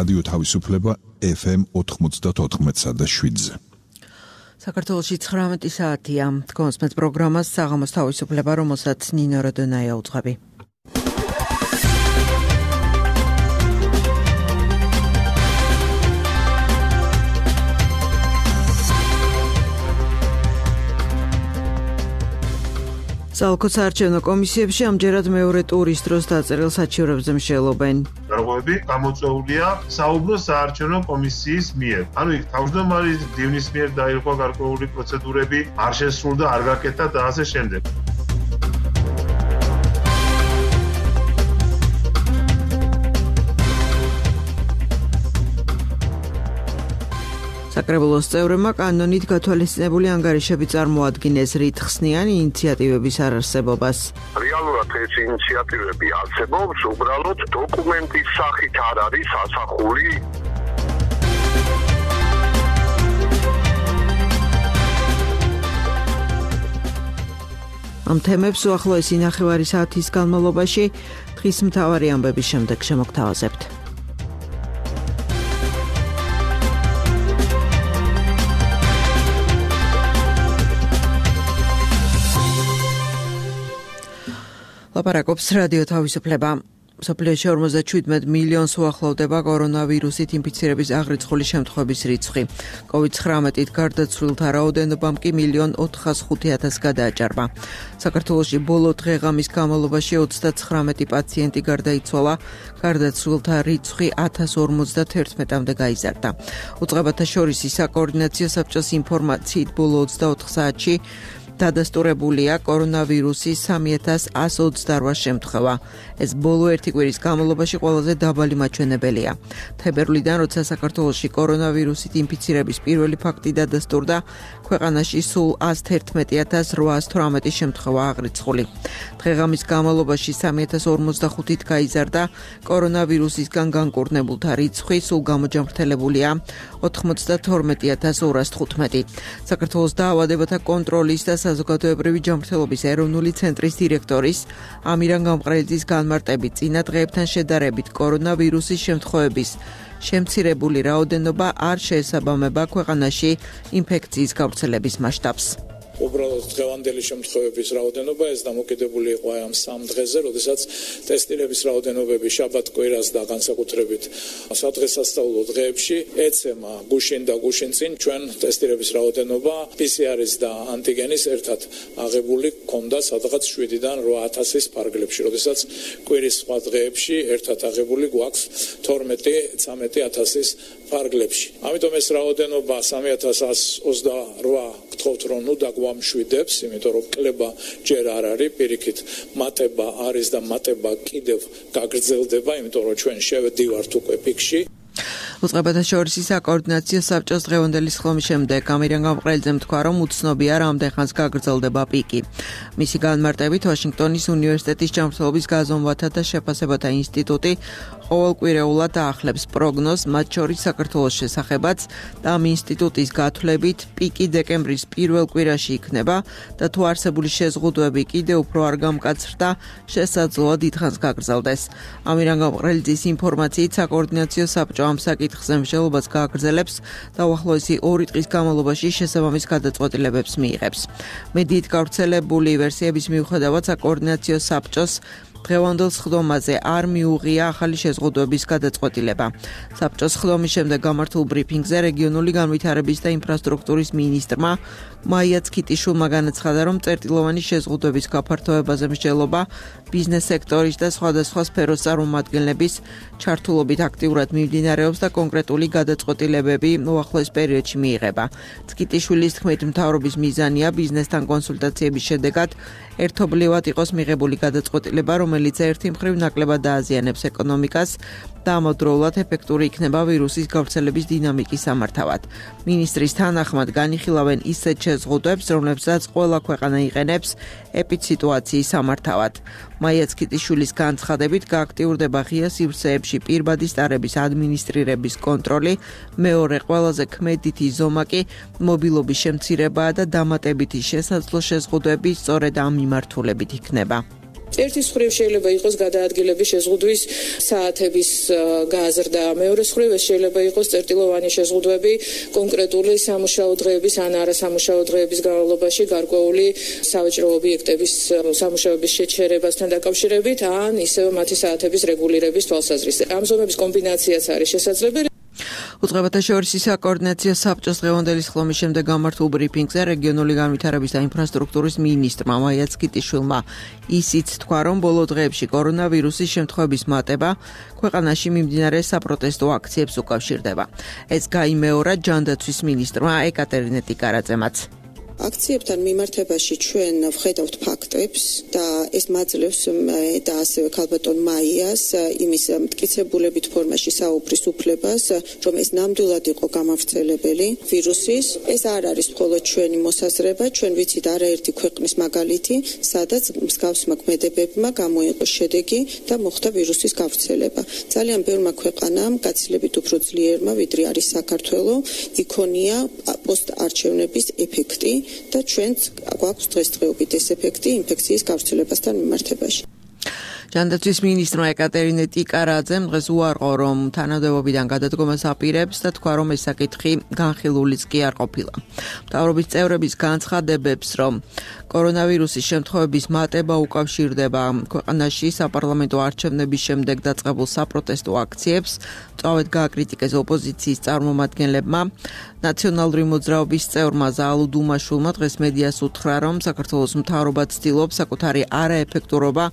რადიო თავისუფლება FM 94.7-ზე. საქართველოში 19 საათია. Თქვენს პროგრამას საღამოს თავისუფლება, რომელსაც ნინო როდონაია უძღვები. საალკო საარჩევნო კომისიებში ამჯერად მეორე ტურის დროს დაწერილ საჩივრებზე მსჯელობენ. დარღვევები გამოწვეულია საუბნო საარჩევნო კომისიის მიერ. ანუ იქ თავმჯდომარის მდივნის მიერ დაირღვა გარკვეული პროცედურები, არ შესრულდა, არ გაკეთა და ასე შემდეგ. საკრებულოს წევრებმა კანონით გათვალისწინებული ანგარიშები წარმოადგინეს რითხსნიანი ინიციატივების არარსებობას. რეალურად ეს ინიციატივები არსებობს, უბრალოდ დოკუმენტის სახით არ არის ასახული. ამ თემებს უახლოესი ნახევარი საათის განმავლობაში დღის მთავარი ამბების შემდეგ შემოგთავაზებთ. ლაპარაკობს რადიო თავისუფლება. მსოფლიოში 47 მილიონს უახლოვდება კორონავირუსით ინფიცირების აღრიცხული შემთხვევების რიცხვი. COVID-19-ით გარდაცვლილთა რაოდენობამ კი 1.405.000 გადააჭარბა. საქართველოში ბოლო დღე-ღამის განმავლობაში 39 პაციენტი გარდაიცვალა, გარდაცვლილთა რიცხვი 1051-მდე გაიზარდა. უწყებათა შორის საკოორდინაციო საბჭოს ინფორმაციით ბოლო 24 საათში დადასტურებულია კორონავირუსის 3128 შემთხვევა. ეს ბოლო ერთი კვირის განმავლობაში ყველაზე დაბალი მაჩვენებელია. თებერვლიდან, როცა საქართველოში კორონავირუსით ინფიცირების პირველი ფაქტი დადასტურდა, ქვეყანაში სულ 111818 შემთხვევა აღრიცხული. დღე-ღამის განმავლობაში 3045-ით გაიზარდა კორონავირუსისგან განკურნებულთა რიცხვი, სულ გამოჯამრთელებულია 92215. საქართველოს დაავადებათა კონტროლის და საზოგადოებრივი ჯანმრთელობის ეროვნული ცენტრის დირექტორის ამირან გამყრელიძის განმარტებით წინა დღეებთან შედარებით კორონავირუსის შემთხვევების შემცირებული რაოდენობა არ შეესაბამება ქვეყანაში ინფექციის გავრცელების მასშტაბს. უბრალოდ დღევანდელი შემთხვევების რაოდენობა ეს დამოკიდებული იყო ამ 3 დღეზე, როდესაც ტესტირების რაოდენობები შაბათ-კვირას და განსაკუთრებით სადღესასწაულო დღეებში ეცემა გუშინ და გუშინწინ ჩვენ ტესტირების რაოდენობა PCR-ის და ანტიგენის ერთად აღებული ჰქონდა სადღაც 7-დან 8000-ის ფარგლებში, როდესაც კვირის სხვა დღეებში ერთად აღებული გვაქვს 12-13000-ის ფარგლებში. ამიტომ ეს რაოდენობა 3128 გთხოვთ რომ ნუ დაგვამშვიდებს, იმიტომ რომ კლება ჯერ არ არის, პირიქით მატება არის და მატება კიდევ გაგრძელდება, იმიტომ რომ ჩვენ შევედივართ უკვე პიკში. უწყებათა შორის საკოორდინაციო საბჭოს დღევანდელი სხდომის შემდეგ ამირან გამყრელიძემ თქვა, რომ უცნობია რამდენ ხანს გაგრძელდება პიკი. მისი განმარტებით ვაშინგტონის უნივერსიტეტის ჯანმრთელობის გაზომვათა და შეფასებათა ინსტიტუტი ყოველკვირეულად აახლებს პროგნოზს, მათ შორის საქართველოს შესახებაც და ამ ინსტიტუტის გათვლებით პიკი დეკემბრის პირველ კვირაში იქნება და თუ არსებული შეზღუდვები კიდევ უფრო არ გამკაცრდა, შესაძლოა დიდხანს გაგრძელდეს. ამირან გამყრელიძის ინფორმაციით საკოორდინაციო საბჭო ამ საკითხზე მსჯელობას გააგრძელებს და უახლოესი 2 დღის განმავლობაში შესაბამის გადაწყვეტილებებს მიიღებს. მედიით გავრცელებული ვერსიების მიუხედავად საკოორდინაციო საბჭოს დღევანდელ სხდომაზე არ მიუღია ახალი შეზღუდვების გადაწყვეტილება. საბჭოს სხდომის შემდეგ გამართულ ბრიფინგზე რეგიონული განვითარების და ინფრასტრუქტურის მინისტრმა მაია ცქიტიშვილმა განაცხადა, რომ წერტილოვანი შეზღუდვების გაფართოებაზე მსჯელობა ბიზნეს სექტორის და სხვადასხვა სფეროს წარმომადგენლების ჩართულობით აქტიურად მიმდინარეობს და კონკრეტული გადაწყვეტილებები უახლოეს პერიოდში მიიღება. ცქიტიშვილის თქმით, მთავრობის მიზანია ბიზნესთან კონსულტაციების შედეგად ერთობლივად იყოს მიღებული გადაწყვეტილება, რომელიც ერთი მხრივ ნაკლებად დააზიანებს ეკონომიკას და ამავდროულად ეფექტური იქნება ვირუსის გავრცელების დინამიკის სამართავად. მინისტრის თანახმად განიხილავენ ისეთ შეზღუდვებს, რომლებსაც ყველა ქვეყანა იყენებს ეპიდსიტუაციის სამართავად. მაია ცქიტიშვილის განცხადებით გააქტიურდება ღია სივრცეებში პირბადი სტარების ადმინისტრირების კონტროლი, მეორე ყველაზე ქმედითი ზომა კი მობილობის შემცირებაა და დამატებითი შესაძლო შეზღუდვები სწორედ ამ მიმართულებით იქნება. ერთის მხრივ შეიძლება იყოს გადაადგილების შეზღუდვის საათების გაზრდა, მეორეს მხრივ შეიძლება იყოს წერტილოვანი შეზღუდვები კონკრეტული სამუშაო დღეების ან არასამუშაო დღეების განმავლობაში გარკვეული სავაჭრო ობიექტების სამუშაოების შეჩერებასთან დაკავშირებით ან ისევ მათი საათების რეგულირების თვალსაზრისით. ამ ზომების კომბინაციაც არის შესაძლებელი. უწყებათა შორისი საკოორდინაციო საბჭოს დღევანდელი სხდომის შემდეგ გამართულ ბრიფინგზე რეგიონული განვითარების და ინფრასტრუქტურის მინისტრმა მაია ცკიტიშვილმა ისიც თქვა, რომ ბოლო დღეებში კორონავირუსის შემთხვევების მატება ქვეყანაში მიმდინარე საპროტესტო აქციებს უკავშირდება. ეს გაიმეორა ჯანდაცვის მინისტრმა ეკატერინე ტიკარაძემაც. აქციებთან მიმართებაში ჩვენ ვხედავთ ფაქტებს და ეს მაძლევს და ასევე ქალბატონ მაიას იმის მტკიცებულებით ფორმაში საუბრის უფლებას, რომ ეს ნამდვილად იყო გამავრცელებელი ვირუსის. ეს არ არის მხოლოდ ჩვენი მოსაზრება, ჩვენ ვიცით არაერთი ქვეყნის მაგალითი, სადაც მსგავსმა ქმედებებმა გამოიყო შედეგი და მოხდა ვირუსის გავრცელება. ძალიან ბევრმა ქვეყანამ გაცილებით უფრო ძლიერმა, ვიდრე არის საქართველო, იქონია პოსტარჩევნების ეფექტი. და ჩვენც გვაქვს დღესდღეობით ეს ეფექტი ინფექციის გავრცელებასთან მიმართებაში. ჯანდაცვის მინისტრმა ეკატერინე ტიკარაძემ დღეს უარყო, რომ თანამდებობიდან გადადგომას აპირებს და თქვა, რომ ეს საკითხი განხილულიც კი არ ყოფილა. მთავრობის წევრების განცხადებებს, რომ კორონავირუსის შემთხვევების მატება უკავშირდება ქვეყანაში საპარლამენტო არჩევნების შემდეგ დაწყებულ საპროტესტო აქციებს, მწვავედ გააკრიტიკეს ოპოზიციის წარმომადგენლებმა. ნაციონალური მოძრაობის წევრმა ზაალუ დუმაშვილმა დღეს მედიას უთხრა, რომ საქართველოს მთავრობა ცდილობს საკუთარი არაეფექტურობა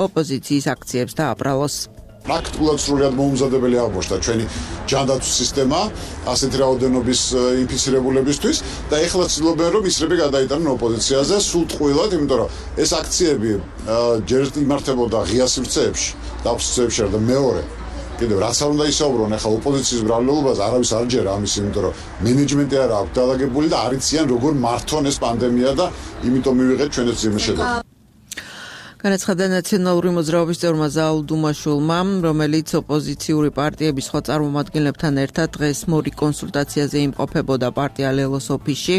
ოპოზიციის აქციებს დააბრალოს. პრაქტიკულად სრულიად მოუმზადებელი აღმოჩნდა ჩვენი ჯანდაცვის სისტემა ასეთი რაოდენობის ინფიცირებულებისთვის და ეხლა ცდილობენ რომ ისრები გადაიტანონ ოპოზიციაზე სულ ტყუილად, იმიტომ რომ ეს აქციები ჯერ იმართებოდა ღია სივრცეებში, დაფსწრებში და მეორე კიდევ რაც არ უნდა ისაუბრონ ახლა ოპოზიციის ბრალეულობაზე არავის არ ჯერა ამის, იმიტომ რომ მენეჯმენტი არ აქვს დალაგებული და არ იციან როგორ მართონ ეს პანდემია და იმიტომ მივიღეთ ჩვენც ძიმე შედეგი. განაცხადა ნაციონალური მოძრაობის წევრმა ზაალუ დუმაშვილმა, რომელიც ოპოზიციური პარტიების სხვა წარმომადგენლებთან ერთად დღეს მორიგ კონსულტაციაზე იმყოფებოდა პარტია ლელოს ოფისში.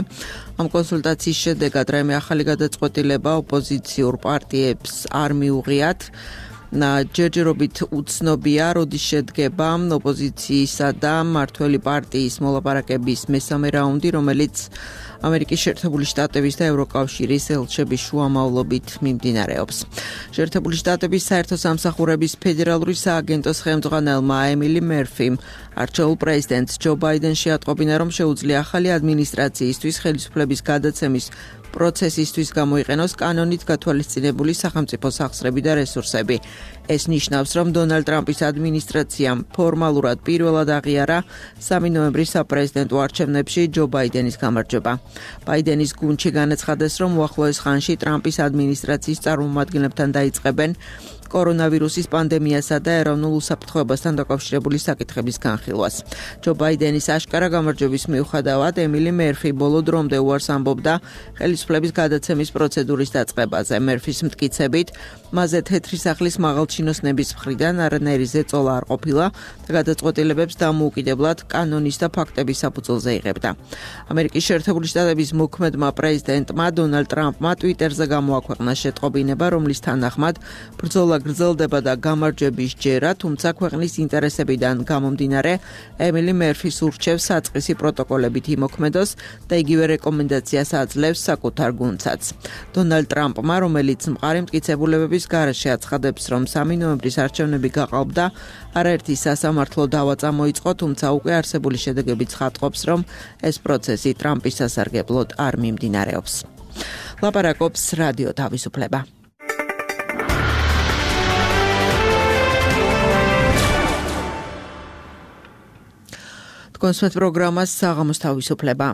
ამ კონსულტაციის შედეგად რაიმე ახალი გადაწყვეტილება ოპოზიციურ პარტიებს არ მიუღიათ. ჯერჯერობით უცნობია, როდის შედგება ოპოზიციისა და მმართველი პარტიის მოლაპარაკების მესამე რაუნდი, რომელიც ამერიკის შეერთებული შტატების და ევროკავშირის ელჩების შუამავლობით მიმდინარეობს. შეერთებული შტატების საერთო სამსახურების ფედერალური სააგენტოს ხელმძღვანელმა ემილი მერფიმ არჩეულ პრეზიდენტს ჯო ბაიდენს შეატყობინა, რომ შეუძლია ახალი ადმინისტრაციისთვის ხელისუფლების გადაცემის პროცესისთვის გამოიყენოს კანონით გათვალისწინებული სახელმწიფო სახსრები და რესურსები. ეს ნიშნავს, რომ დონალდ ტრამპის ადმინისტრაციამ ფორმალურად პირველად აღიარა 3 ნოემბრის საპრეზიდენტო არჩევნებში ჯო ბაიდენის გამარჯვება. ბაიდენის გუნდში განაცხადეს, რომ უახლოეს ხანში ტრამპის ადმინისტრაციის წარმომადგენლებთან დაიწყებენ კორონავირუსის პანდემიასა და ეროვნულ უსაფრთხოებასთან დაკავშირებული საკითხების განხილვას. ჯო ბაიდენის აშკარა გამარჯვების მიუხედავად ემილი მერფი ბოლო დრომდე უარს ამბობდა ხელისუფლების გადაცემის პროცედურის დაწყებაზე. მერფის მტკიცებით, მასზე თეთრი სახლის მაღალჩინოსნების მხრიდან არანაირი ზეწოლა არ ყოფილა და გადაწყვეტილებებს დამოუკიდებლად კანონის და ფაქტების საფუძველზე იღებდა. ამერიკის შეერთებული შტატების მოქმედმა პრეზიდენტმა დონალდ ტრამპმა ტვიტერზე გამოაქვეყნა შეტყობინება, რომლის თანახმად ბრძოლა გრძელდება და გამარჯვების ჯერა, თუმცა ქვეყნის ინტერესებიდან გამომდინარე ემილი მერფის ურჩევს საწყისი პროტოკოლებით იმოქმედოს და იგივე რეკომენდაციას აძლევს საკუთარ გუნდსაც. დონალდ ტრამპმა, რომელიც მყარი მტკიცებულებების გარეშე აცხადებს, რომ 3 ნოემბრის არჩევნები გაყალბდა, არაერთი სასამართლო დავა წამოიწყო, თუმცა უკვე არსებული შედეგები ცხადყოფს, რომ ეს პროცესი ტრამპის სასარგებლოდ არ მიმდინარეობს. ლაპარაკობს რადიო თავისუფლება. კონსვეთ პროგრამას საღამოს თავისუფლება.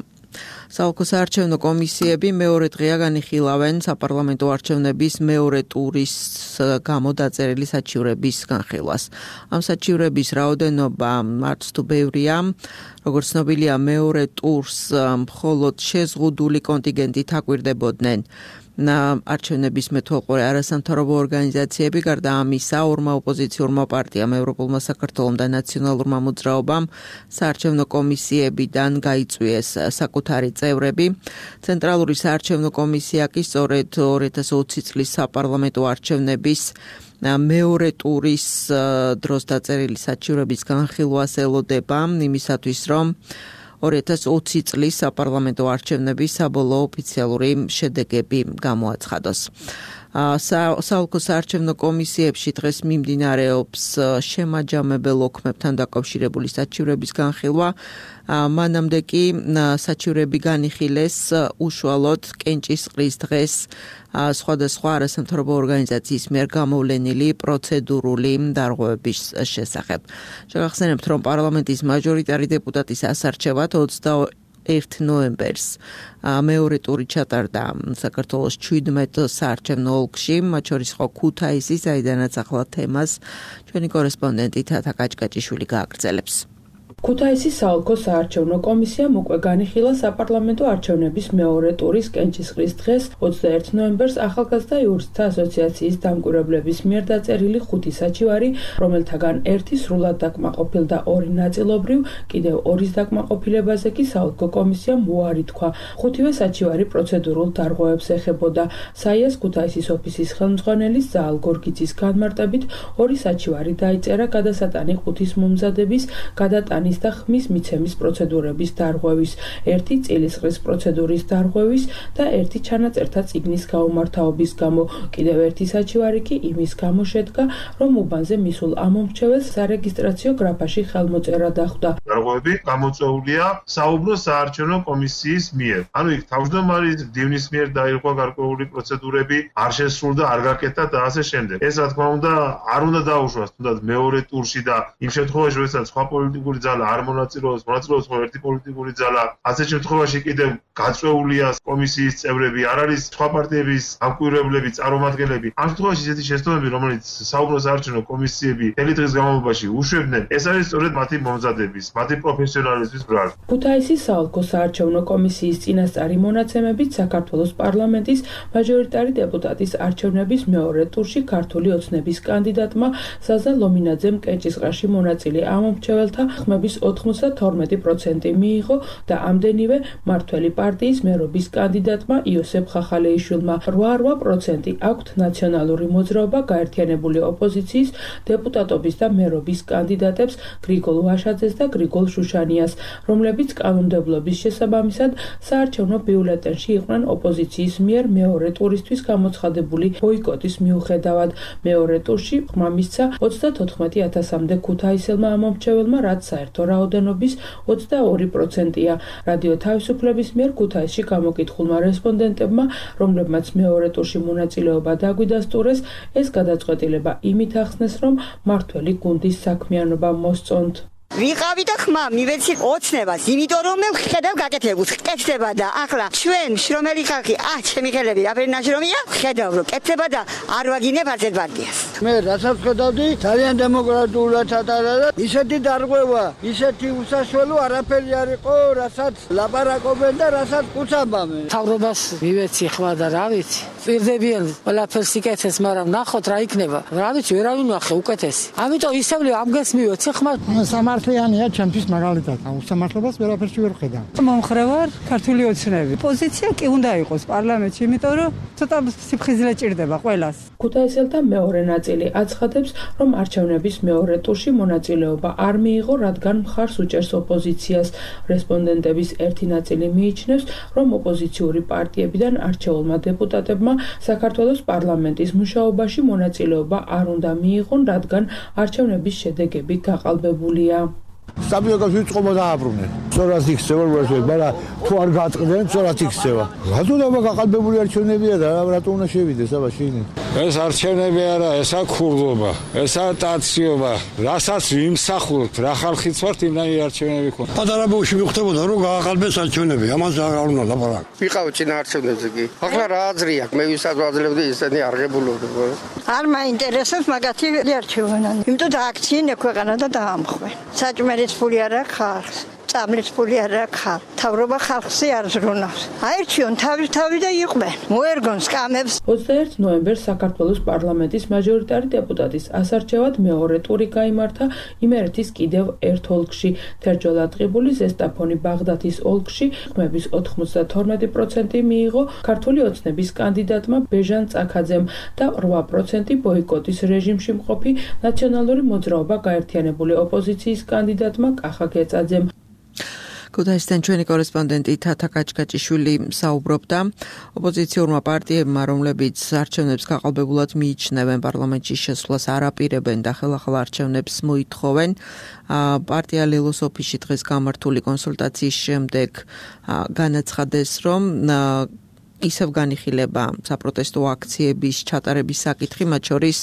საოლქო საარჩევნო კომისიები მეორე დღეა განიხილავენ საპარლამენტო არჩევნების მეორე ტურის გამო დაწერილი საჩივრების განხილვას. ამ საჩივრების რაოდენობა არც თუ ბევრია, როგორც ცნობილია, მეორე ტურს მხოლოდ შეზღუდული კონტინგენტით აკვირდებოდნენ არჩევნების მეთვალყურე არასამთავრობო ორგანიზაციები გარდა ამისა ორმა ოპოზიციურმა პარტიამ ევროპულმა საქართველომ და ნაციონალურმა მოძრაობამ საარჩევნო კომისიებიდან გაიწვიეს საკუთარი წევრები. ცენტრალური საარჩევნო კომისია კი სწორედ 2020 წლის საპარლამენტო არჩევნების მეორე ტურის დროს დაწერილი საჩივრების განხილვას ელოდება იმისათვის, რომ 2020 წლის საპარლამენტო არჩევნების საბოლოო ოფიციალური შედეგები გამოაცხადოს. საოლქო საარჩევნო კომისიებში დღეს მიმდინარეობს შემაჯამებელ ოქმებთან დაკავშირებული საჩივრების განხილვა. მანამდე კი საჩივრები განიხილეს უშუალოდ კენჭისყრის დღეს სხვადასხვა არასამთავრობო ორგანიზაციის მიერ გამოვლენილი პროცედურული დარღვევების შესახებ. შეგახსენებთ, რომ პარლამენტის მაჟორიტარი დეპუტატის ასარჩევად 21 ნოემბერს მეორე ტური ჩატარდა საქართველოს 17 საარჩევნო ოლქში, მათ შორის იყო ქუთაისი, საიდანაც ახლა თემას ჩვენი კორესპონდენტი თათა კაჭკაჭიშვილი გააგრძელებს. ქუთაისის საოლქო საარჩევნო კომისიამ უკვე განიხილა საპარლამენტო არჩევნების მეორე ტურის კენჭისყრის დღეს 21 ნოემბერს ახალგაზრდა იურისტთა ასოციაციის დამკვირვებლების მიერ დაწერილი 5 საჩივარი, რომელთაგან ერთი სრულად დაკმაყოფილ და 2 ნაწილობრივ, კიდევ 2-ის დაკმაყოფილებაზე კი საოლქო კომისიამ უარი თქვა. 5-ვე საჩივარი პროცედურულ დარღვევებს ეხებოდა. საიას ქუთაისის ოფისის ხელმძღვანელის ზაალ გორგიძის განმარტებით 2 საჩივარი დაიწერა გადასატანი ყუთის მომზადების, გადატანის და ხმის მიცემის პროცედურების დარღვევის, ერთი წილისყრის პროცედურის დარღვევის და ერთი ჩანაწერთა წიგნის გაუმართავობის გამო. კიდევ ერთი საჩივარი კი იმის გამო შედგა, რომ უბანზე მისულ ამომრჩეველს სარეგისტრაციო გრაფაში ხელმოწერა დახვდა. დარღვევები გამოწვეულია საუბნო საარჩევნო კომისიის მიერ. ანუ იქ თავმჯდომარის მდივნის მიერ დაირღვა გარკვეული პროცედურები, არ შესრულდა, არ გაკეთა და ასე შემდეგ. ეს რა თქმა უნდა არ უნდა დაუშვას თუნდაც მეორე ტურში და იმ შემთხვევაში, როდესაც სხვა პოლიტიკური ძალა არ მონაწილეობს ხო ერთი პოლიტიკური ძალა. ასე შემთხვევაში კიდევ გაწვეულია კომისიის წევრები, არ არის სხვა პარტიების დამკვირვებლები, წარმომადგენლები. ამ შემთხვევაში ისეთი შეცდომები, რომელიც საუბნო საარჩევნო კომისიები მთელი დღის განმავლობაში უშვებდნენ, ეს არის სწორედ მათი მომზადების, მათი პროფესიონალიზმის ბრალი. ქუთაისის საოლქო საარჩევნო კომისიის წინასწარი მონაცემებით საქართველოს პარლამენტის მაჟორიტარი დეპუტატის არჩევნების მეორე ტურში ქართული ოცნების კანდიდატმა ზაზა ლომინაძემ კენჭისყრაში მონაწილე ამომრჩეველთა ხმების 92% მიიღო და ამდენივე მართველი პარტიის მერობის კანდიდატმა იოსებ ხახალეიშვილმა 8% აქვთ ნაციონალური მოძრაობა გაერთიანებული ოპოზიციის დეპუტატობის და მერობის კანდიდატებს გრიგოლ ვაშაძეს და გრიგოლ შუშანიას, რომლებიც კანონმდებლობის შესაბამისად საარჩევნო ბიულეტენში იყვნენ ოპოზიციის მიერ მეორე ტურისთვის გამოცხადებული ბოიკოტის მიუხედავად. მეორე ტურში ხმა მისცა 34,000-მდე ქუთაისელმა ამომრჩეველმა, რაც საერთო რაოდენობის 22%-ია. რადიო თავისუფლების მიერ ქუთაისში გამოკითხულმა რესპონდენტებმა, რომლებმაც მეორე ტურში მონაწილეობა დაგვიდასტურეს, ეს გადაწყვეტილება იმით ახსნეს, რომ მართველი გუნდის საქმიანობა მოსწონთ. ვიყავი და ხმა მივეცი ოცნებას, იმიტომ რომ მე ხედავ გაკეთებულს, კეთდება და ახლა ჩვენ შრომელი ხალხი, ჩემი ხელები რაფერი ნაშრომია, ხედავ რომ კეთდება და არ ვაგინებ არცერთ პარტიას. მე რასაც ხედავდი, ძალიან დემოკრატიულად ატარა და ისეთი დარღვევა, ისეთი უსაშველო არაფერი არ იყო, რასაც ლაპარაკობენ და რასაც კუცამბამენ. თავრობას მივეცი ხმა და რა ვიცი, პირდებიან ყველაფერს იკეთეს, მაგრამ ნახოთ რა იქნება. რა ვიცი, ვერავინ ვახე უკეთესი. ამიტომ ისევ ამგეს მივეცი ხმა. სამართლიანია ჩემთვის მაგალითად. უსამართლობას ვერაფერში ვერ ხედავ. მომხრევარ ქართული ოცნები. პოზიცია კი უნდა იყოს პარლამენტში, იმიტომ რომ ცოტა სიფხიზლე ჭირდება ყველას. ქუთაისელთა მეორე ნაწილი აცხადებს, რომ არჩევნების მეორე ტურში მონაწილეობა არ მიიღო, რადგან მხარს უჭერს ოპოზიციას. რესპონდენტების ერთი ნაწილი მიიჩნევს, რომ ოპოზიციური პარტიებიდან არჩეულმა დეპუტატებმა საქართველოს პარლამენტის მუშაობაში მონაწილეობა არ უნდა მიიღონ, რადგან არჩევნების შედეგები გაყალბებულია. სტაბილობას ვიწყობა დააბრუნენ. სწორად იქცევა ვერსვე, მაგრამ თუ არ გაწყდნენ, სწორად იქცევა. რატომ გაყალბებული არჩევნებია და რატომ უნდა შევიდეს აბა შინი? ეს არჩევნები არა, ესა ქურდობა, ესა ტაციობა. რასაც ვიმსახურებთ, რა ხალხიც ვართ, იმდენი არჩევნები ქონდა. პატარა ბავშვი მიხვდებოდა, რომ გააყალბეს არჩევნები, ამაზე არ უნდა ლაპარაკ. ვიყავ წინა არჩევნებზე კი. ახლა რა აზრია? მე ვისაც ვაძლევდი, ისინი არღებულობდნენ. არ მაინტერესებს მაგათი არჩევანი. იმიტომ და აქციენ ექვეყანა და დაამხვე. საჭმელის ფული არა ხალხს. წამლის ფული არ აქვს. თავრობა ხალხზე არ ზრუნავს. აერჩიონ თავი და იყვნენ. მოერგონ სკამებს. 21 ნოემბერს საქართველოს პარლამენტის მაჟორიტარი დეპუტატის ასარჩევად მეორე ტური გაიმართა იმერეთის კიდევ ერთ ოლქში. თერჯოლა ტყიბული, ზესტაფონი, ბაღდათის ოლქში ხმების 92% მიიღო ქართული ოცნების კანდიდატმა ბეჟან წაქაძემ და 8% ბოიკოტის რეჟიმში მყოფი ნაციონალური მოძრაობა გაერთიანებული ოპოზიციის კანდიდატმა კახა გეწაძემ. ქუთაისიდან ჩვენი კორესპონდენტი თათა კაჭკაჭიშვილი საუბრობდა ოპოზიციურმა პარტიებმა, რომლებიც არჩევნებს გაყალბებულად მიიჩნევენ, პარლამენტში შესვლას არ აპირებენ და ხელახალ არჩევნებს მოითხოვენ. პარტია ლელოს ოფისში დღეს გამართული კონსულტაციის შემდეგ განაცხადეს, რომ ისევ განიხილება საპროტესტო აქციების ჩატარების საკითხი, მათ შორის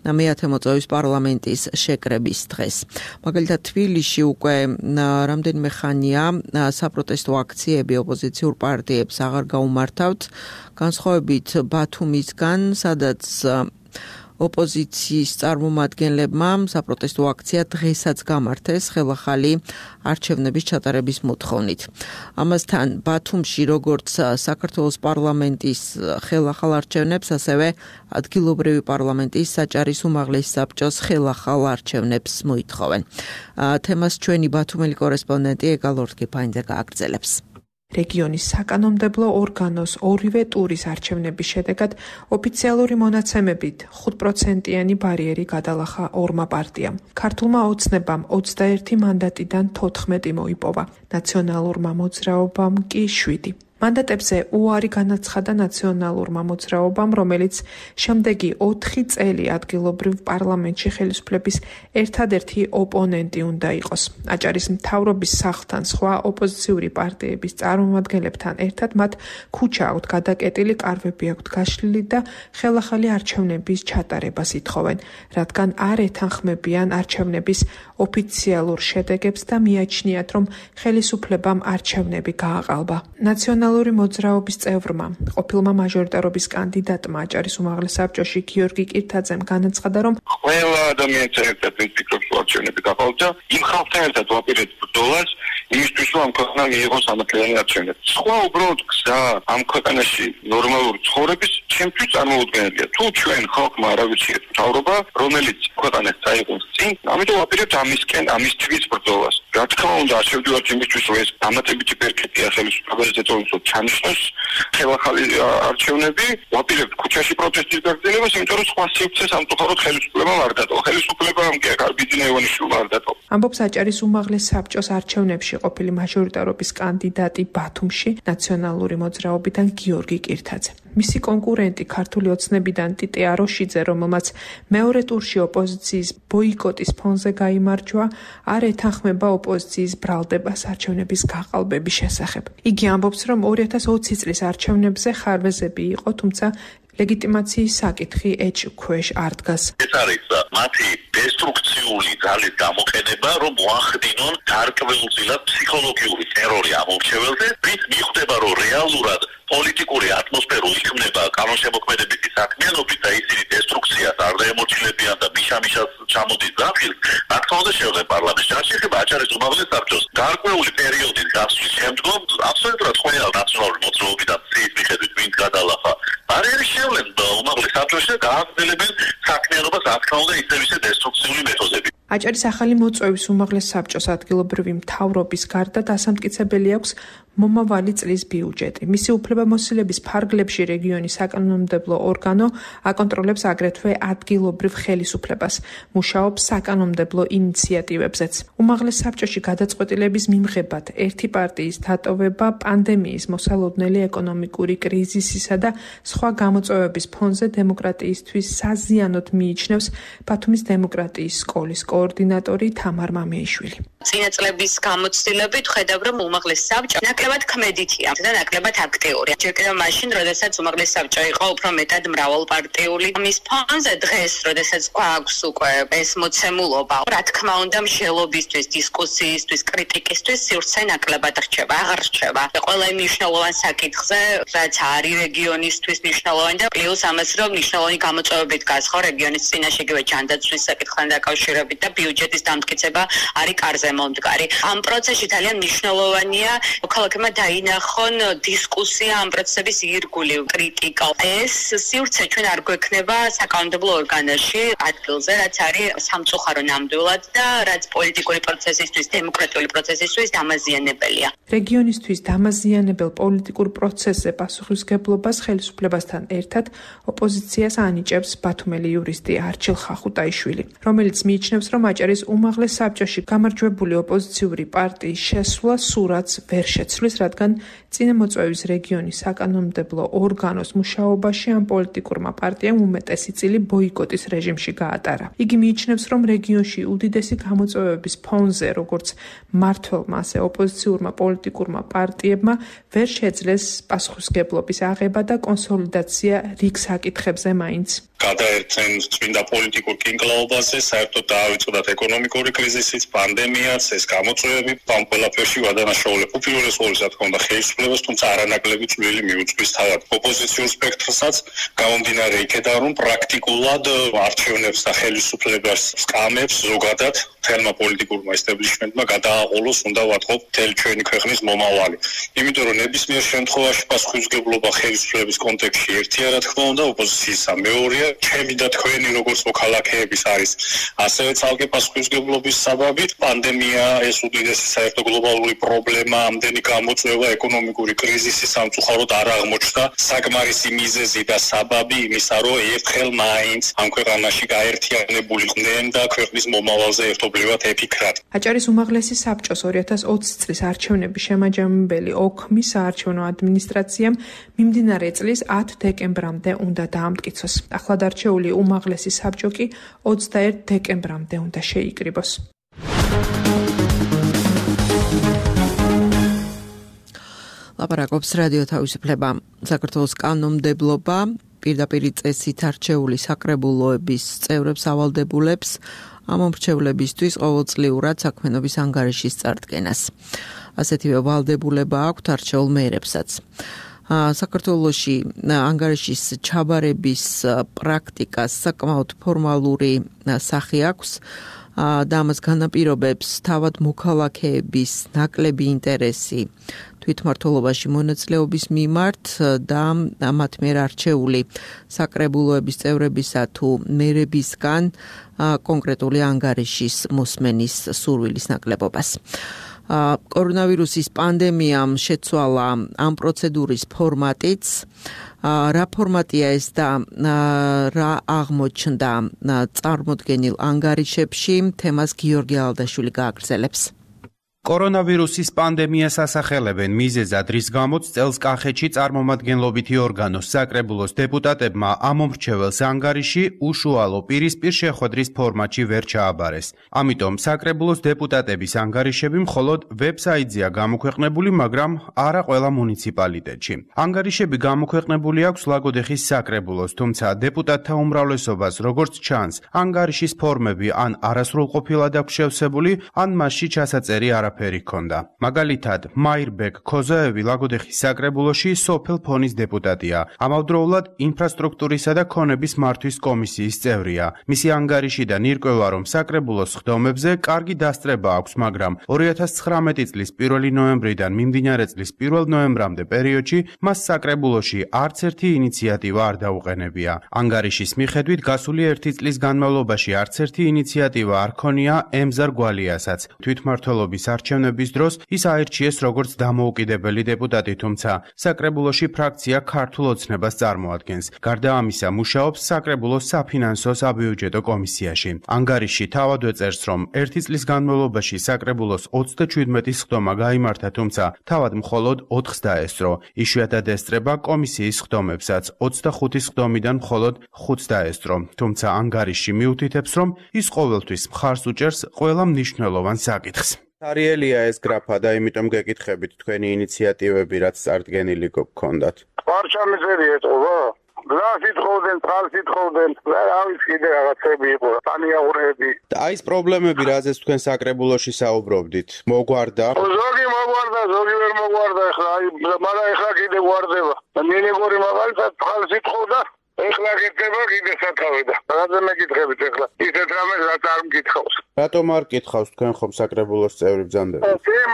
მეათე მოწვევის პარლამენტის შეკრების დღეს. მაგალითად, თბილისში უკვე რამდენიმე ხანია საპროტესტო აქციები ოპოზიციურ პარტიებს აღარ გაუმართავთ, განსხვავებით ბათუმისგან, სადაც ოპოზიციის წარმომადგენლებმა საპროტესტო აქცია დღესაც გამართეს ხელახალი არჩევნების ჩატარების მოთხოვნით. ამასთან ბათუმში როგორც საქართველოს პარლამენტის ხელახალ არჩევნებს, ასევე ადგილობრივი პარლამენტის საჭარის უმაღლესი საბჭოს ხელახალ არჩევნებს მოითხოვენ. თემას ჩვენი ბათუმელი კორესპონდენტი ეგალორ კიფაინძე გააგრძელებს. რეგიონის საკანონმდებლო ორგანოს ორივე ტურის არჩევნების შედეგად ოფიციალური მონაცემებით 5%-იანი ბარიერი გადალახა ორმა პარტიამ. ქართულმა ოცნებამ 21 მანდატიდან 14 მოიპოვა, ნაციონალურმა მოძრაობამ კი 7. მანდატებზე უარი განაცხადა ნაციონალურმა მოძრაობამ, რომელიც შემდეგი 4 წელი ადგილობრივ პარლამენტში ხელისუფლების ერთადერთი ოპონენტი უნდა იყოს. აჭარის მთავრობის სახლთან სხვა ოპოზიციური პარტიების წარმომადგენლებთან ერთად მათ ქუჩა აქვთ გადაკეტილი, კარვები აქვთ გაშლილი და ხელახალი არჩევნების ჩატარებას ითხოვენ, რადგან არ ეთანხმებიან არჩევნების ოფიციალურ შედეგებს და მიაჩნიათ, რომ ხელისუფლებამ არჩევნები გააყალბა. ნაციონალური მოძრაობის წევრმა, ყოფილმა მაჟორიტარობის კანდიდატმა აჭარის უმაღლეს საბჭოში გიორგი კირთაძემ განაცხადა, რომ ყველა ადამიანს ერთად ფიქრობს, რომ არჩევნები გაყალბდა, იმ ხალხთან ერთად ვაპირებთ ბრძოლას, იმისთვის, რომ ამ ქვეყანა მიიღოს სამართლიანი არჩევნები. სხვა უბრალოდ გზა ამ ქვეყანაში ნორმალური ცხოვრების ჩემთვის წარმოუდგენელია. თუ ჩვენ ხალხმა არ ავირჩიეთ მთავრობა, რომელიც ქვეყანას წაიღოს წინ, ამიტომ ვაპირებთ ამისთვის ბრძოლას. რა თქმა უნდა, არ შევდივართ იმისთვის, რომ ეს დამატებითი პერკეტია ხელისუფლებას ეთოლოს ჩანიშნოს ხელახალი არჩევნები, ვაპირებთ ქუჩაში პროტესტის გაგრძელებას, იმიტომ რომ სხვა სივრცე სამწუხაროდ ხელისუფლებამ არ დატოვა. ხელისუფლებამ კი ბიძინა ივანიშვილმა არ დატოვა. ამბობს აჭარის უმაღლეს საბჭოს არჩევნებში ყოფილი მაჟორიტარობის კანდიდატი ბათუმში ნაციონალური მოძრაობიდან გიორგი კირთაძე. მისი კონკურენტი ქართული ოცნებიდან ტიტე აროშიძე, რომელმაც მეორე ტურში ოპოზიციის ბოიკოტის ფონზე გაიმარჯვა, არ ეთანხმება ოპოზიციის ბრალდებას არჩევნების გაყალბების შესახებ. იგი ამბობს, რომ 2020 წლის არჩევნებზე ხარვეზები იყო, თუმცა ლეგიტიმაციის საკითხი ეჭქვეშ არ დგას. ეს არის მათი დესტრუქციული ძალის გამოყენება, რომ მოახდინონ გარკვეულწილად ფსიქოლოგიური ტერორი ამ მომრჩეველზე, რის მიხვდება, რომ რეალურად პოლიტიკური ატმოსფერო იქმნება კანონშემოქმედებითი საქმიანობით და ისინი დესტრუქციას არ დაემორჩილებიან და მიშამიშას ჩამოდის დახილ, რა თქმა უნდა შევღებ პარლამენტში. არ შეიძლება აჭარის უმაღლეს საბჭოს გარკვეული პერიოდის გასვლის შემდგომ აბსოლუტურად ყველა ნაციონალური მოძრაობიდან ცის მიხედვით ვინც გადალახა ბარიერი შევლენ უმაღლეს საბჭოში და გააგრძელებენ საქმიანობას, რა თქმა უნდა ისევ ისე დესტრუქციული მეთოდებით. აჭარის ახალი მოწვევის უმაღლეს საბჭოს ადგილობრივი მთავრობის გარდა დასამტკიცებელი აქვს მომავალი წლის ბიუჯეტი. მისი უფლებამოსილების ფარგლებში რეგიონის საკანონმდებლო ორგანო აკონტროლებს აგრეთვე ადგილობრივ ხელისუფლებას, მუშაობს საკანონმდებლო ინიციატივებზეც. უმაღლეს საბჭოში გადაწყვეტილების მიმღებად ერთი პარტიის დატოვება პანდემიის, მოსალოდნელი ეკონომიკური კრიზისისა და სხვა გამოწვევების ფონზე დემოკრატიისთვის საზიანოდ მიიჩნევს ბათუმის დემოკრატიის სკოლის კოორდინატორი თამარ მამეიშვილი. წინა წლების გამოცდილებით ხედავ, რომ უმაღლეს საბჭო ნაკლებად ქმედითია და ნაკლებად აქტიური. ჯერ კიდევ მაშინ, როდესაც უმაღლესი საბჭო იყო უფრო მეტად მრავალპარტიული. მის ფონზე დღეს, როდესაც გვაქვს უკვე ეს მოცემულობა, რა თქმა უნდა, მსჯელობისთვის, დისკუსიისთვის, კრიტიკისთვის სივრცე ნაკლებად რჩება, აღარ რჩება. ყველა იმ მნიშვნელოვან საკითხზე, რაც არის რეგიონისთვის მნიშვნელოვანი და პლუს ამას რომ მნიშვნელოვანი გამოწვევებით გასხო რეგიონის წინაშე იგივე ჯანდაცვის საკითხთან დაკავშირებით და ბიუჯეტის დამტკიცება არის კარზე მომდგარი. ამ პროცესში ძალიან მნიშვნელოვანია მოქალაქეებმა დაინახონ დისკუსია ამ პროცესების ირგული, კრიტიკა. ეს სივრცე ჩვენ არ გვექნება საკანონმდებლო ორგანოში ადგილზე, რაც არის სამწუხარო ნამდვილად და რაც პოლიტიკური პროცესისთვის, დემოკრატიული პროცესისთვის დამაზიანებელია. რეგიონისთვის დამაზიანებელ პოლიტიკურ პროცესზე პასუხისმგებლობას ხელისუფლებასთან ერთად ოპოზიციას ანიჭებს ბათუმელი იურისტი არჩილ ხახუტაიშვილი, რომელიც მიიჩნევს, რომ აჭარის უმაღლეს საბჭოში გამარჯვებული ოპოზიციური პარტიის შესვლა სურათს ვერ შეცვლის, რადგან წინამოწვევის რეგიონის საკანონმდებლო ორგანოს მუშაობაში ამ პოლიტიკურმა პარტიამ უმეტესი წილი ბოიკოტის რეჟიმში გაატარა. იგი მიიჩნევს, რომ რეგიონში უდიდესი გამოწვევების ფონზე, როგორც მმართველმა, ასე ოპოზიციურმა პოლიტიკურმა პარტიებმა ვერ შეძლეს პასუხისმგებლობის აღება და კონსოლიდაცია რიგ საკითხებზე მაინც. გადაერთენ წმინდა პოლიტიკურ კინკლაობაზე, საერთოდ დაავიწყდათ ეკონომიკური კრიზისიც, პანდემიაც, ეს გამოწვევები, ამ ყველაფერში ვადანაშაულებ უპირველეს რა თქმა უნდა ხელისუფლებას, თუმცა არანაკლები წვლილი მიუძღვის თავად ოპოზიციურ სპექტრსაც, გამომდინარე იქედან, რომ პრაქტიკულად არჩევნებს და ხელისუფლებას სკამებს ზოგადად თელმა პოლიტიკურმა ესტაბლიშმენტმა გადააყოლოს, უნდა ვატყობ მთელი ჩვენი ქვეყნის მომავალი. იმიტომ რომ ნებისმიერ შემთხვევაში პასუხისმგებლობა ხელისუფლების კონტექსტში ერთია, რა თქმა უნდა, ოპოზიციისა მეორეა. ჩემი და თქვენი როგორც მოქალაქეების არის ასევე ცალკე პასუხისმგებლობის საბაბი. პანდემია ეს უდიდესი საერთო გლობალური პრობლემა, ამდენი გამოწვევა, ეკონომიკური კრიზისი სამწუხაროდ არ აღმოჩნდა საკმარისი მიზეზი და საბაბი იმისა, რომ ერთხელ მაინც ამ ქვეყანაში გაერთიანებულიყვნენ და ქვეყნის მომავალზე ერთობლივად ეფიქრათ. აჭარის უმაღლესი საბჭოს 2020 წლის არჩევნების შემაჯამებელი ოქმის საარჩევნო ადმინისტრაციამ მიმდინარე წლის 10 დეკემბრამდე უნდა დაამტკიცოს. ახლად არჩეული უმაღლესი საბჭო კი 21 დეკემბრამდე უნდა შეიკრიბოს. ლაპარაკობს რადიო თავისუფლება. საქართველოს კანონმდებლობა პირდაპირი წესით არჩეული საკრებულოების წევრებს ავალდებულებს ამომრჩევლებისთვის ყოველწლიურად საქმიანობის ანგარიშის წარდგენას. ასეთივე ვალდებულება აქვთ არჩეულ მეერებსაც. საქართველოში ანგარიშის ჩაბარების პრაქტიკას საკმაოდ ფორმალური სახე აქვს და ამას განაპირობებს თავად მოქალაქეების ნაკლები ინტერესი თვითმმართველობაში მონაწილეობის მიმართ და მათ მიერ არჩეული საკრებულოების წევრებისა თუ მერებისგან კონკრეტული ანგარიშის მოსმენის სურვილის ნაკლებობას. კორონავირუსის პანდემიამ შეცვალა ამ პროცედურის ფორმატიც. რა ფორმატია ეს და რა აღმოჩნდა წარმოდგენილ ანგარიშებში, თემას გიორგი ალდაშვილი გააგრძელებს. კორონავირუსის პანდემიას ასახელებენ მიზეზად, რის გამოც წელს კახეთში წარმომადგენლობითი ორგანოს საკრებულოს დეპუტატებმა ამომრჩეველს ანგარიში უშუალო პირისპირ შეხვედრის ფორმატში ვერ ჩააბარეს. ამიტომ საკრებულოს დეპუტატების ანგარიშები მხოლოდ ვებსაიტზეა გამოქვეყნებული, მაგრამ არა ყველა მუნიციპალიტეტში. ანგარიშები გამოქვეყნებული აქვს ლაგოდეხის საკრებულოს, თუმცა დეპუტატთა უმრავლესობას, როგორც ჩანს, ანგარიშის ფორმები ან არასრულყოფილად აქვს შევსებული, ან მასში ჩასაწერი არაფერი ჰქონდა. მაგალითად, მაირბეკ ქოზაევი ლაგოდეხის საკრებულოში სოფელ ფონის დეპუტატია. ამავდროულად ინფრასტრუქტურისა და ქონების მართვის კომისიის წევრია. მისი ანგარიშიდან ირკვევა, რომ საკრებულოს ხდომებზე კარგი დასწრება აქვს, მაგრამ 2019 წლის 1 ნოემბრიდან მიმდინარე წლის 1 ნოემბრამდე პერიოდში მას საკრებულოში არც ერთი ინიციატივა არ დაუყენებია. ანგარიშის მიხედვით გასული 1 წლის განმავლობაში არც ერთი ინიციატივა არ ქონია ემზარ გვალიასაც. თვითმმართველობის არჩევნების დროს ის აირჩიეს როგორც დამოუკიდებელი დეპუტატი, თუმცა საკრებულოში ფრაქცია ქართულ ოცნებას წარმოადგენს. გარდა ამისა, მუშაობს საკრებულოს საფინანსო საბიუჯეტო კომისიაში. ანგარიში თავადვე წერს, რომ 1 წლის განმავლობაში საკრებულოს 37 ხდომა გაიმართა, თუმცა თავად მხოლოდ 4-ს დაესწრო. იშვიათად ესწრება კომისიის ხდომებსაც, 25 ხდომიდან მხოლოდ 5-ს დაესწრო. თუმცა ანგარიში მიუთითებს, რომ ის ყოველთვის მხარს უჭერს ყველა მნიშვნელოვან საკითხს. სარიელია ეს გრაფა და იმიტომ გეკითხებით თქვენი ინიციატივები რაც წარდგენილი გქონდათ. პარჩამიზერი ეტყობა? გზაში თხოვდნენ, წყალში თხოვდნენ, ავის კიდე რაღაცები იყო, თანიაღურები. და აი ეს პრობლემები რაზეც თქვენ საკრებულოში საუბრობდით, მოგვარდა? ზოგი მოგვარდა, ზოგი ვერ მოგვარდა ახლა, მაგრამ ახლა კიდე გვარდება. მინეგორი მაგალითად წყალში თხოვდა, ახლა გეტება კიდე სათავე და რაზე მეკითხებით ახლა? ისეთ რამეს რაც არ მკითხავს. რატომ არ კითხავს თქვენ ხომ საკრებულოს წევრი ბრძანდები?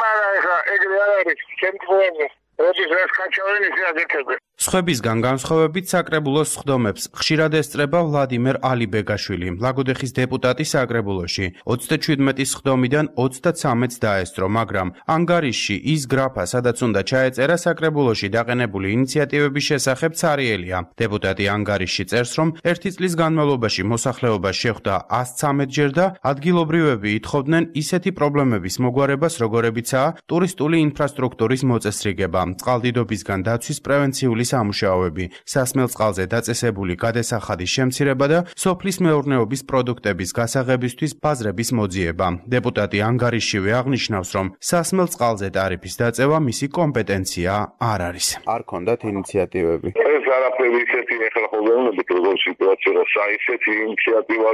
მაგრამ ახლა ეგრე არ არის, შემთხვევაში. როდის ეს ხაჩავენ ისე აგეთებენ. სხვებისგან განსხვავებით საკრებულოს სხდომებს ხშირად ესწრება ვლადიმერ ალიბეგაშვილი, ლაგოდეხის დეპუტატი საკრებულოში. 37 სხდომიდან 33-ს დაესწრო, მაგრამ ანგარიშში ის გრაფა, სადაც უნდა ჩაეწერა საკრებულოში დაყენებული ინიციატივების შესახებ ცარიელია. დეპუტატი ანგარიშში წერს, რომ 1 წლის განმავლობაში მოსახლეობა შეხვდა 113 ჯერ და ადგილობრივები ითხოვდნენ ისეთი პრობლემების მოგვარებას, როგორებიცაა ტურისტული ინფრასტრუქტურის მოწესრიგება, წყალდიდობისგან დაცვის პრევენციული სამუშაოები, სასმელ წყალზე დაწესებული გადასახადის შემცირება და სოფლის მეურნეობის პროდუქტების გასაღებისთვის ბაზრების მოძიება. დეპუტატი ანგარიშშივე აღნიშნავს, რომ სასმელ წყალზე ტარიფის დაწევა მისი კომპეტენცია არ არის. არ ქონდათ ინიციატივები? ეს არაფერი ისეთი ახლა ხოლმე როგორ სიტუაცია საისეთი ინიციატივა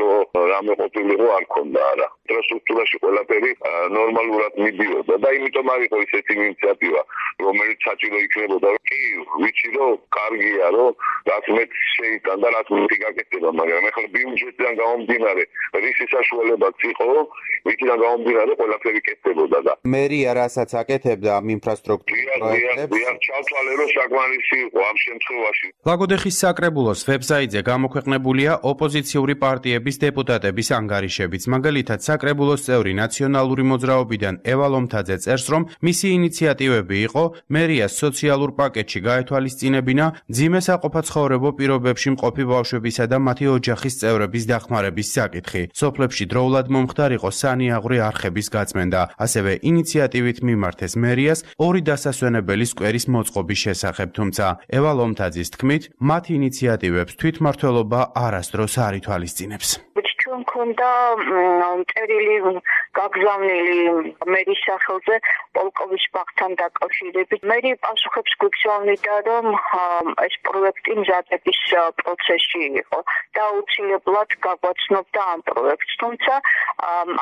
რამე ყოფილიყო არ ქონდა არა. ინფრასტრუქტურაში ყველაფერი ნორმალურად მიდიოდა და იმიტომ არ იყო ისეთი ინიციატივა, რომელიც საჭირო იქნებოდა. კი, ვიცი რომ კარგია რომ რაც მე შეიტან და რაც მე გაკეთება, მაგრამ ახლა ბიუჯეტიდან გამომდინარე, რისი საშუალებაც იყო, ვიქიდან გამომდინარე ყველაფერი კეთდებოდა და მერია რასაც აკეთებდა ამ ინფრასტრუქტურის პროექტებს, ჩავთვალე რომ საკმარისი იყო ამ შემთხვევაში. ლაგოდეხის საკრებულოს ვებსაიტზე გამოქვეყნებულია ოპოზიციური პარტიების დეპუტატების ანგარიშებიც. მაგალითად, საკრებულოს წევრი ნაციონალური მოძრაობიდან ევა ლომთაძე წერს, რომ მისი ინიციატივები იყო მერიას სოციალურ პაკეტში გაეთვალისწინებინა მძიმე საყოფაცხოვრებო პირობებში მყოფი ბავშვებისა და მათი ოჯახის წევრების დახმარების საკითხი. სოფლებში დროულად მომხდარიყო სანიაღვრე არხების გაწმენდა. ასევე ინიციატივით მიმართეს მერიას 2 დასასვენებელი სკვერის მოწყობის შესახებ, თუმცა ევა ლომთაძის თქმით, მათ ინიციატივებს თვითმმართველობა არასდროს არ ითვალისწინებს. ჩვენ მქონდა წერილი გაგზავნილი მერის სახელზე პოლკოვის ბაღთან დაკავშირებით. მერი პასუხებს გვიგზავნიდა, რომ ეს პროექტი მზადების პროცესში იყო და აუცილებლად გაგვაცნობდა ამ პროექტს, თუმცა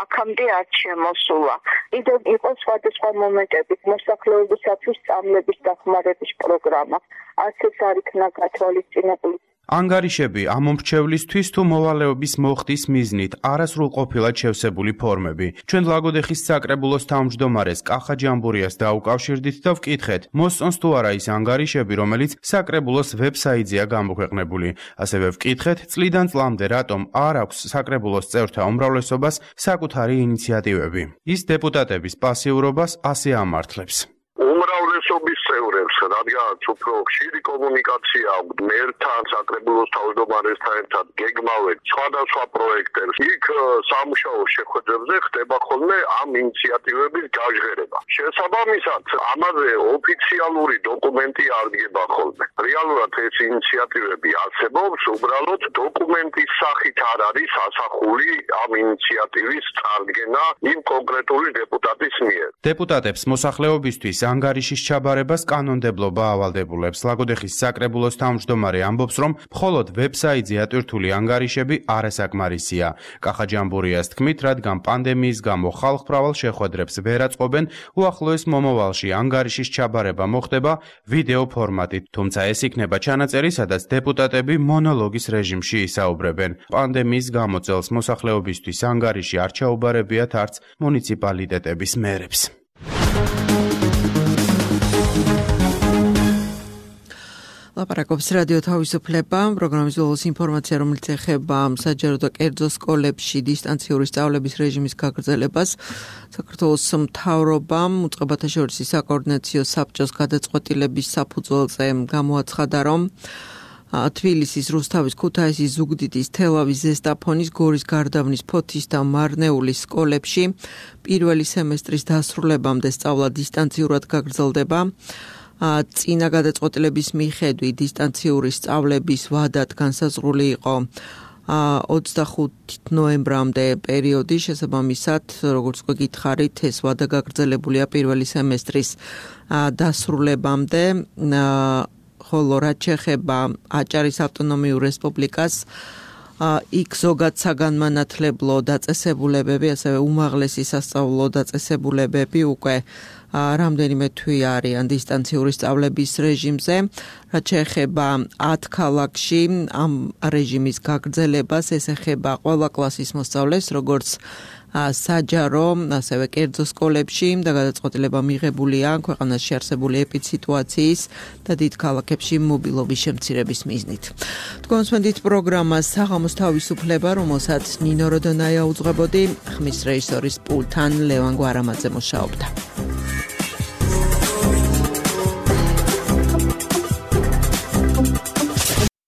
აქამდე არ შემოსულა. კიდევ იყო სხვადასხვა მომენტებით მოსახლეობისათვის სწავლების დახმარების პროგრამა. ასეც არ იქნა გათვალისწინებული. ანგარიშები ამომრჩევლისთვის თუ მოვალეობის მოხდის მიზნით არასრულყოფილად შევსებული ფორმები. ჩვენ ლაგოდეხის საკრებულოს თავმჯდომარეს კახა ჯამბურიას დაუკავშირდით და ვკითხეთ, მოსწონს თუ არა ის ანგარიშები, რომელიც საკრებულოს ვებსაიტზეა გამოქვეყნებული. ასევე ვკითხეთ, წლიდან წლამდე რატომ არ აქვს საკრებულოს წევრთა უმრავლესობას საკუთარი ინიციატივები. ის დეპუტატების პასიურობას ასე ამართლებს. უმრავლესობის წევრებს, რადგანაც უფრო ხშირი კომუნიკაცია აქვს მერთან, საკრებულოს თავმჯდომარესთან ერთად გეგმავენ სხვადასხვა პროექტებს. იქ სამუშაო შეხვედრებზე ხდება ხოლმე ამ ინიციატივების გაჟღერება. შესაბამისად, ამაზე ოფიციალური დოკუმენტი არ დგება ხოლმე. რეალურად ეს ინიციატივები არსებობს, უბრალოდ დოკუმენტის სახით არ არის ასახული ამ ინიციატივის წარდგენა იმ კონკრეტული დეპუტატის მიერ. დეპუტატებს მოსახლეობისთვის ანგარიშის ჩაბარებას კანონმდებლობა ავალდებულებს. ლაგოდეხის საკრებულოს თავმჯდომარე ამბობს, რომ მხოლოდ ვებსაიტზე ატვირთული ანგარიშები არასაკმარისია. კახა ჯამბურიას თქმით, რადგან პანდემიის გამო ხალხმრავალ შეხვედრებს ვერ აწყობენ, უახლოეს მომავალში ანგარიშის ჩაბარება მოხდება ვიდეო ფორმატით, თუმცა ეს იქნება ჩანაწერი, სადაც დეპუტატები მონოლოგის რეჟიმში ისაუბრებენ. პანდემიის გამო წელს მოსახლეობისთვის ანგარიში არ ჩაუბარებიათ არც მუნიციპალიტეტების მერებს. ლაპარაკობს რადიო თავისუფლება, პროგრამის ბოლოს ინფორმაცია, რომელიც ეხება საჯარო და კერძო სკოლებში დისტანციური სწავლების რეჟიმის გაგრძელებას. საქართველოს მთავრობამ უწყებათა შორის საკოორდინაციო საბჭოს გადაწყვეტილების საფუძველზე გამოაცხადა, რომ თბილისის, რუსთავის, ქუთაისის, ზუგდიდის, თელავის, ზესტაფონის, გორის, გარდაბნის, ფოთის და მარნეულის სკოლებში პირველი სემესტრის დასრულებამდე სწავლა დისტანციურად გაგრძელდება. წინა გადაწყვეტილების მიხედვით დისტანციური სწავლების ვადად განსაზღვრული იყო 25 ნოემბრამდე პერიოდი, შესაბამისად, როგორც გითხარით, ეს ვადა გაგრძელებულია პირველი სემესტრის დასრულებამდე, ხოლო რაც შეეხება აჭარის ავტონომიურ რესპუბლიკას, იქ ზოგად საგანმანათლებლო დაწესებულებები, ასევე უმაღლესი სასწავლო დაწესებულებები უკვე რამდენიმე თვე არიან დისტანციური სწავლების რეჟიმზე, რაც შეეხება 10 ქალაქში ამ რეჟიმის გაგრძელებას, ეს ეხება ყველა კლასის მოსწავლეს, როგორც საჯარო, ასევე კერძო სკოლებში და გადაწყვეტილება მიღებულია ქვეყანაში არსებული ეპიდსიტუაციის და დიდ ქალაქებში მობილობის შემცირების მიზნით. თქვენსმენდით პროგრამას საღამოს თავისუფლება, რომელსაც ნინო როდონაია უძღვებოდი, ხმის რეჟისორის პულტთან ლევან გვარამაძე მუშაობდა.